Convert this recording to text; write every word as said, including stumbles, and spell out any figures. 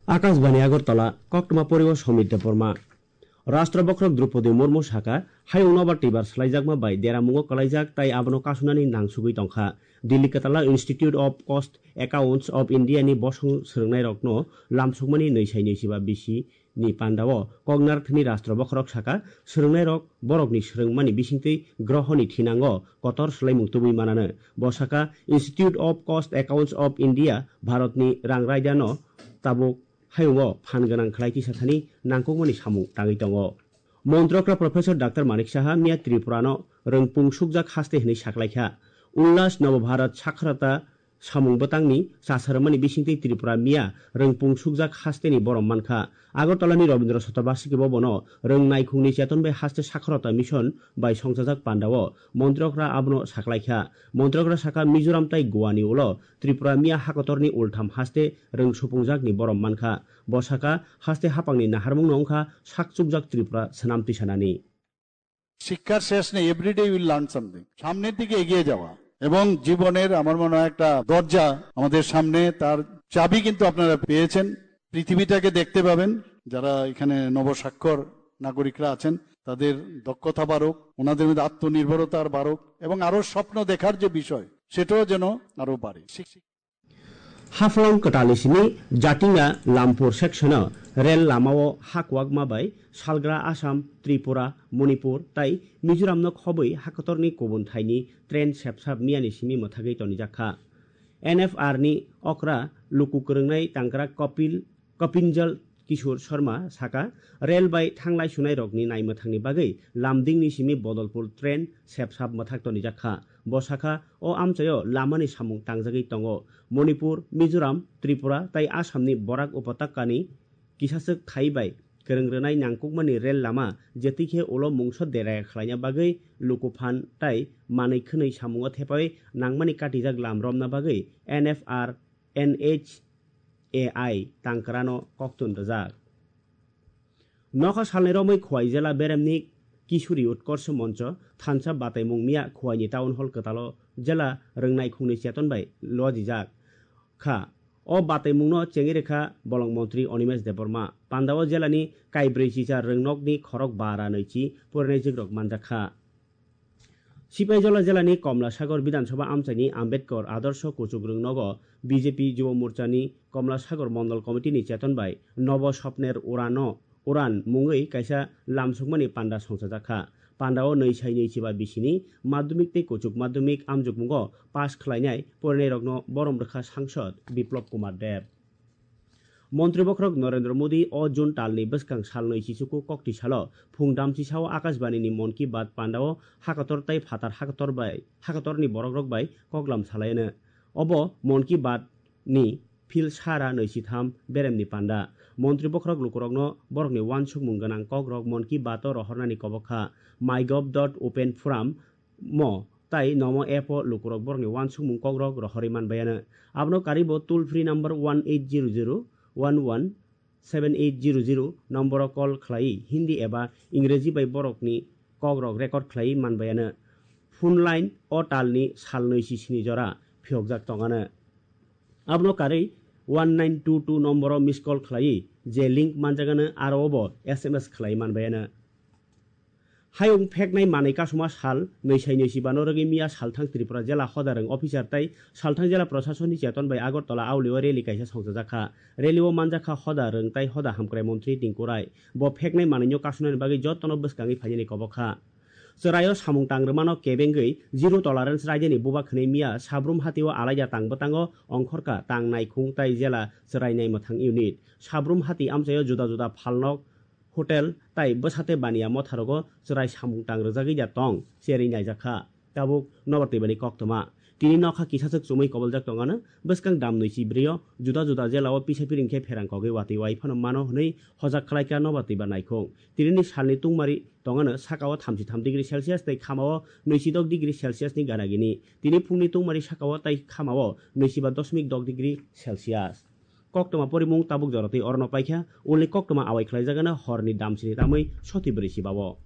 Akashbani Agartala, koktwma poriwo Somit Debbarma. Rashtra Bokhorok Droupadi Murmu sakha, hayung nobar twibar swlaijakma bai deramungo kwlaijak tai abono kasunani nangsugwi tongkha. Delhi Katala Institute of Cost Accounts of India ni bosong swrwngnairokno lamsokmani nwi sai nwi chiba bisi ni pandao koknarthani Rashtra Bokhorok sakha, swrwngnairok borokni swrwngmani bisingtwi grohoni thinango kotor swlaimung tubui manano. Bo sakha, Institute of Cost Accounts of India Bharatni rang raidano tabuk hayungo phan gwnang khlai tisa thani nangkukmani samung tangwi tongo. Montrokra Professor Doctor Manik Saha miya Tripurano rwngpung sukjak haste hwnwi saklaikha. Ullas Nabhabharat Sakhorata samung bwtangni chasarwmani bisingtwi Tripura miya rwngpung sukjak hasteni borom mankha. Agartalani Rabindra Sotobasiki bo bono rwng naikhungni cheton bai haste sakhorota mission bai songchajak pandao montrokra abono saklaikha. Montrokra sakha, Mizoram tai Goani ulo Tripura miya hakotorni ultham haste rwng supungjakni borom mankha. Bo sakha, haste hapangni naharmungno wngkha sak chukjak Tripura swnam tisanani. শিক্ষার শেষ নেই, everyday will learn something. সামনের দিকে এগিয়ে যাওয়া এবং জীবনের আমার মনে হয় একটা দরজা আমাদের সামনে, তার চাবি কিন্তু আপনারা পেয়েছেন। পৃথিবীটাকে দেখতে পাবেন। যারা এখানে নবস্বাক্ষর নাগরিকরা আছেন, তাদের দক্ষতা বাড়ুক, ওনাদের মধ্যে আত্মনির্ভরতার বাড়ুক এবং আরো স্বপ্ন দেখার যে বিষয়, সেটাও যেন আরো বাড়ে। Haflong kwtalni simi Jatinga Lampur section-o rel lamao hakwakma bai salgra Assam, Tripura, Manipur tai Mizoramno khobwi hakotorni kubun thaini train sepsap miyani simi mwthagwi tonijakha. N F R ni okra luku kwrwngnai tangkra Kopil Kopinjal Kishore Sharma sakha, rel bai thanglai sunairokni naimwthangni bagwi Lamdingni simi Bodolpur train sepsap mwthak tonijakha. Bo sakha, o amchaio lamani samung tangjagwi tongo. Manipur, Mizoram, Tripura tai Assamni Barak Upatakkani kisaswk thai bai kwrwng rwnai nangkukmani rel lama jetwi khe ulo mungsa deraya khlaina bagwi luku phan tai manwi khwnwi samungo thepawi nangmani katijak lam romna bagwi N F R N H A I tangkrano koktun rwjak. Nokha salni romwi Khowai jela beremni Kisuri Utkorsho Moncho thansa bataimung miya Khowaini Town Hall kwtalo jela rwngnai khungni cheton bai lojijak kha. O bataimungno chengwi rwkha bolong montri Animesh Debbarma. Pandao jelani kaibrwi chicha rwngnokni khorok bara nwichi porinaijikrok manjakha. Sipaijola jelani Komlasagor Bidhan Sabha amchaini Ambedkar Adarsh Kuchuk Rwngnogo B J P Jubo Morchani Komlasagor Mondol Committee ni cheton bai Nobo Sopner Urano Uran mungwi kaisa lamsokmani panda songchajakha. Pandao nwi sai nwi chiba bisini madhyamik tei kuchuk madhyamik amjokmungo pass khlainai porinairokno borom rwkha Sangsad Biplab Kumar Deb. Montri bokhorok Narendra Modi o June talni bwskang sal nwi chichuku kokti salo phung damchi sao Akashbani ni Mon Ki Baat pandao hakotor tai phatar hakotor bai hakotorni borokrok bai koklam salaino. Obo Mon Ki Baat ni phil sara nwi chitham beremni panda. Montri bokhorok lukurokno borokni uansukmung gwnang kokrok Mon Ki Baat o rohornani kobok kha. MyGov dot open forum mo tai Nomo app o lukurok borokni uansukmung kokrok rohorwi manbaiano. Abono karwibo toll free number one eight zero zero one one seven eight zero zero nomboro call khlaiwi Hindi eba Ingreji bai borokni kokrok record khlaiwi manbaiano. Phone line o talni salnwi sisini jora phiyokjak tongano. Abono karwi one nine two two nomboro miss call khlaiwi je link manjagano aro obo S M S khlaiwi manbaiano. Hayung pheknai manwi kasuma sal nwi sai nwi chibano rwgwi miya salthang Tripura jela hoda rwng officer tai salthang jela proshasonni cheton bai Agartala aulio rally kaisa songchajakha. Rally o manjakha hoda rwng tai hoda hamkrai montri Tinku Rai. Bo pheknai manwino kasunani bagwi jotono bwskangwi phainani kobok kha. Chwraio samung tangrwmano kebengwi zero tolerance raidani buba khwnwi miya Sabrum hatio alaida tang bwtango ongkhorkha tang naikhung tai jela chwrai naimwthang unit. Sabrum hati amchaio juda juda phalnok, hotel tai bwsate baniya motharogo chwrai samung tang rwjagwi da tong cherwi naijakha. Tabuk nobar twibani koktwma. Tini nokha kisachwk chumui koboljak tongano bwskang damnwi chibrio juda juda jelao pisa piring khe pherang kogwi watwi wai phano mano hwnwi hojak khlaikha nobar twiba naikhung. Tinini salni tungmari tongano sakao thamchi tham degree Celsius tei khamao nwichi dok degree Celsius ni gana gini. Tini phungni tungmari sakao tai khamao nwichi ba dosmik dok degree Celsius. Koktwma porimung tabuk jora twi orono paikha, ulni koktwma awai khlaijagano horni damsini tamwi soti brwi chibao.